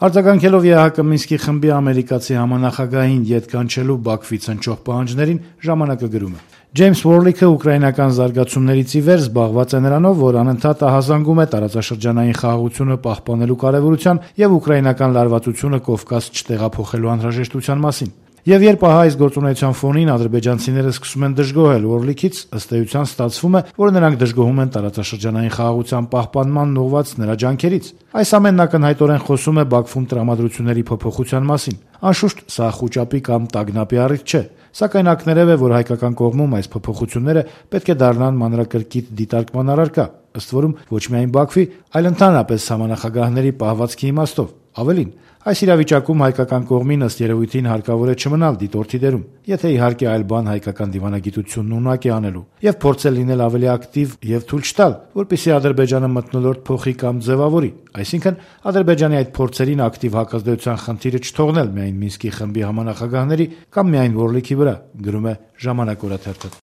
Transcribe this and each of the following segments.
Արձագանքելով ԵԱՀԿ Մինսկի խմբի ամերիկացի համանախագահին ետ կանչելու Բաքվից հնչող պահանջներին, ժամանակը գրում է. Ջեյմս Ուորլիքը ուկրաինական զարգացումներից ի վեր զբաղված է նրանով, որ անընդհատ ահազանգում է տարածաշրջանային խաղաղությունը պահպանելու կարևորության եւ ուկրաինական լարվածությունը Կովկաս չտեղափոխելու անհրաժեշտության մասին։ Եվ երբ այս գործունեության ֆոնին ադրբեջանցիները սկսում են դժգոհել Ուորլիքից, ըստ էության ստացվում է, որ նրանք դժգոհում են տարածաշրջանային խաղաղության պահպանման ուղղված նրա ջանքերից։ Այս ամենն ակնհայտորեն խոսում է Բաքվում տրամադրությունների փոփոխության մասին։ Անշուշտ, սա խուճապի կամ տագնապի առիթ չէ, սակայն ակներև է, որ հայկական կողմում այս փոփոխությունները պետք է դառնան մանրակրկիտ դիտարկման առարկա, ըստ որում ոչ միայն Բաքվի, այլ ընդհանրապես համանախագահների պահվածքի իմաստով։ Ավելին, այս իրավիճակում հայկական կողմին ըստ երևույթին հարկավոր է չմնալ դիտորդի դերում, եթե իհարկե այլ բան հայկական դիվանագիտությունն ունակ է անելու, եւ փորձել լինել ավելի ակտիվ եւ թույլ չտալ, որպեսզի Ադրբեջանը մթնոլորտ փոխի կամ ձևավորի, այսինքն Ադրբեջանի այդ փորձերին ակտիվ հակազդեցության խնդիրը չթողնել միայն Մինսկի խմբի համանախագահների կամ միայն Ուորլիքի վրա, գրում է Ժամանակ օրաթերթը։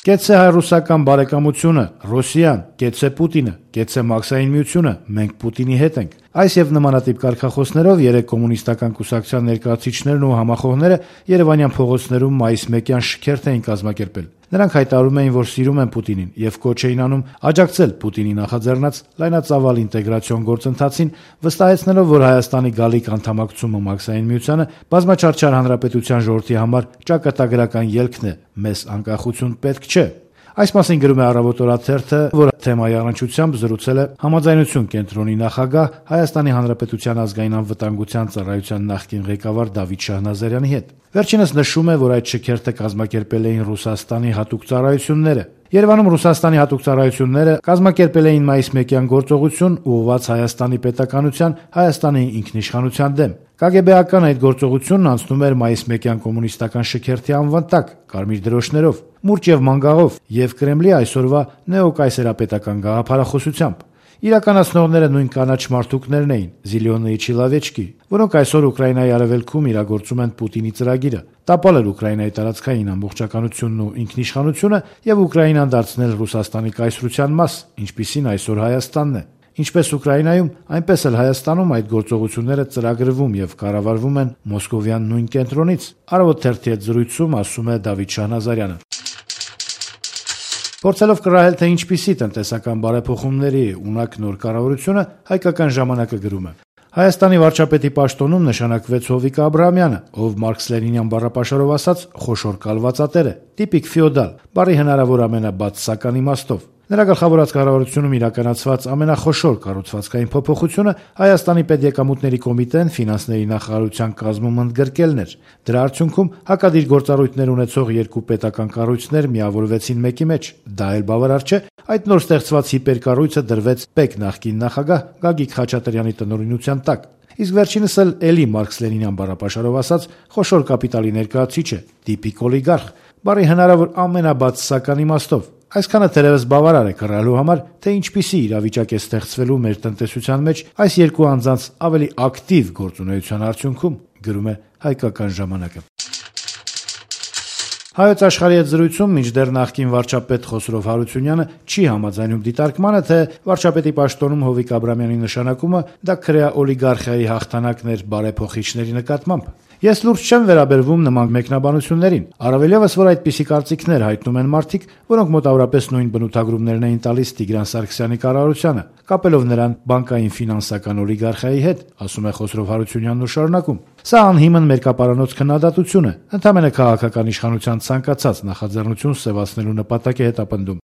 Կեցե հայ-ռուսական բարեկամությունը, Ռոսիան, կեցե Պուտինը, կեցե Մաքսային միությունը, մենք Պուտինի հետ ենք։ Այս եւ նմանատիպ կարգախոսներով երեք կոմունիստական կուսակցության ներկայացուցիչներն ու համախոհները Երևանյան փողոցներում մայիս 1-յան շքերթ էին կազմակերպել։ Նրանք հայտարարում էին, որ սիրում են Պուտինին եւ կոչ էին անում աջակցել Պուտինի նախաձեռնած լայնածավալ ինտեգրացիոն գործընթացին, վստահեցնելով, որ Հայաստանի գալիք անդամակցումը Մաքսային միությանը բազմաչարչար հանրապետության ժողովրդի համար ճակատագրական ելքն է, մեզ անկախություն պետք չէ։ Այս մասին գրում է Առավոտ օրաթերթը, որ թեմայի առնչությամբ զրուցել է Համաձայնություն կենտրոնի նախագահ Հայաստանի Հանրապետության ազգային անվտանգության ծառայության նախկին ղեկավար Դավիթ Շահնազարյանի հետ։ Վերջինս նշում է, որ այդ շքերթը կազմակերպել էին Ռուսաստանի հատուկ ծառայությունները։ Երևանում Ռուսաստանի հատուկ ծառայությունները կազմակերպել էին մայիս 1-յան գործողություն ուղղված Հայաստանի պետականության, Հայաստանի ինքնիշխանության դեմ։ ԿԳԲ-ական այդ գործողությունն անցնում էր մայիս 1-յան կոմունիստական շքերթի անվան տակ, կարմիր դրոշներով, մուրճ եւ մանգաղով եւ Կրեմլի այսօրվա նեոկայսերապետական գաղափարախոսությամբ։ Իրականացնողները նույն կանաչ մարդուկներն էին, Զիլյոննի Չիլավեչկի, որոնք այսօր Ուկրաինայի արևելքում իրագործում են Պուտինի ծրագիրը՝ տապալել Ուկրաինայի տարածքային ամբողջականությունն ու ինքնիշխանությունը եւ Ուկրաինան դարձնել Ռուսաստանի կայսրության մաս, ինչպիսին այսօր Հայաստանն է։ Ինչպես Ուկրաինայում, այնպես էլ Հայաստանում այդ գործողությունները ծրագրվում եւ կառավարվում են մոսկովյան նույն կենտրոնից։ Առավոտ թերթի հետ զրույցում ասում է Դավիթ Շահնազարյանը։ Փորձելով կռահել, թե ինչպիսի տնտեսական բարեփոխումների ունակ նոր կառավարությունը, Հայկական ժամանակը գրում է. Հայաստանի վարչապետի պաշտոնում նշանակվեց Հովիկ Աբրահամյանը, ով Մարքս-Լենինյան բառապաշարով ասած խոշոր կալվածատեր է, տիպիկ ֆեոդալ, բարի հնարավոր ամենաբացասական իմաստով։ Նրա գլխավորած կառավարությունում իրականացված ամենախոշոր կառուցվածքային փոփոխությունը Հայաստանի պետեկամուտների կոմիտեն ֆինանսների նախարարության կազմում ընդգրկելն էր։ Դրա արդյունքում հակադիր գործառույթներ ունեցող երկու պետական կառույցներ միավորվեցին մեկի մեջ։ Դա էլ բավարար չէ, այդ նոր ստեղծված հիպերկառույցը դրվեց ՊԵԿ նախկին նախագահ Գագիկ Խաչատրյանի տնօրինության տակ։ Իսկ վերջինս էլի Մարքս-Լենինյան բառապաշարով ասած խոշոր կապիտալի ներկայացուցիչ է, տիպիկ օլիգարխ, բարի հնարավոր ամենաբացասական իմաստով։ Այսքանը թերևս բավարար է կռահելու համար, թե ինչպիսի իրավիճակ է ստեղծվելու մեր տնտեսության մեջ այս երկու անձանց ավելի ակտիվ գործունեության արդյունքում, գրում է Հայկական ժամանակը։ Հայոց աշխարհի հետ զրույցում մինչդեռ նախկին վարչապետ Խոսրով Հարությունյանը չի համաձայնում դիտարկմանը, թե վարչապետի պաշտոնում Հովիկ Աբրահամյանի նշանակումը դա քրեա օլիգարխիայի հաղթանակն էր բարեփոխիչների նկատմամբ։ Ես լուրջ չեմ վերաբերվում նման մեկնաբանություններին, առավել ևս, որ այդպիսի կարծիքներ հայտնում են մարդիկ, որոնք մոտավորապես նույն բնութագրումներն էին տալիս Տիգրան Սարգսյանի կառավարությանը, կապելով նրան բանկային ֆինանսական օլիգարխիայի հետ, ասում է Խոսրով Հարությունյանն ու շարունակում. Սա անհիմն մերկապարանոց քննադատություն է, ընդհանրապես քաղաքական իշխանության ցանկացած նախաձեռնություն սևացնելու նպատակ է հետապնդում։